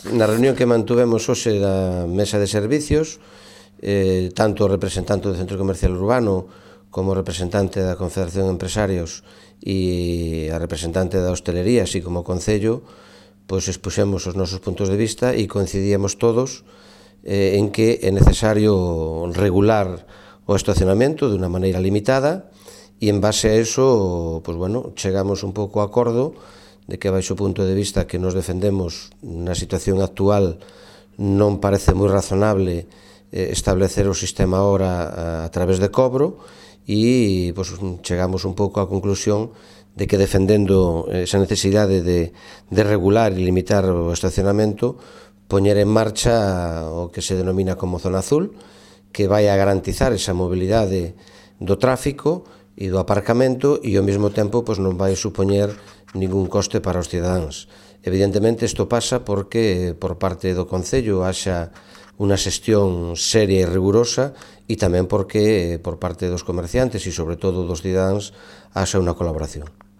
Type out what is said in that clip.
Na reunión que mantuvemos hoxe da mesa de servicios, tanto o representante do Centro Comercial Urbano como o representante da Confederación de Empresarios e a representante da hostelería, así como o Concello, pois expuxemos os nosos puntos de vista e coincidíamos todos en que é necesario regular o estacionamento de unha maneira limitada e en base a eso, pois bueno, chegamos un pouco a acordo de que baixo o punto de vista que nos defendemos na situación actual non parece moi razonable establecer o sistema ahora a través de cobro e pois, chegamos un pouco á conclusión de que defendendo esa necesidade de regular e limitar o estacionamento, poñer en marcha o que se denomina como zona azul, que vai a garantizar esa mobilidade do tráfico e do aparcamento e ao mesmo tempo pois, non vai supoñer ningún coste para os cidadáns. Evidentemente isto pasa porque por parte do Concello haxa unha xestión seria e rigurosa e tamén porque por parte dos comerciantes e sobre todo dos cidadáns haxa unha colaboración.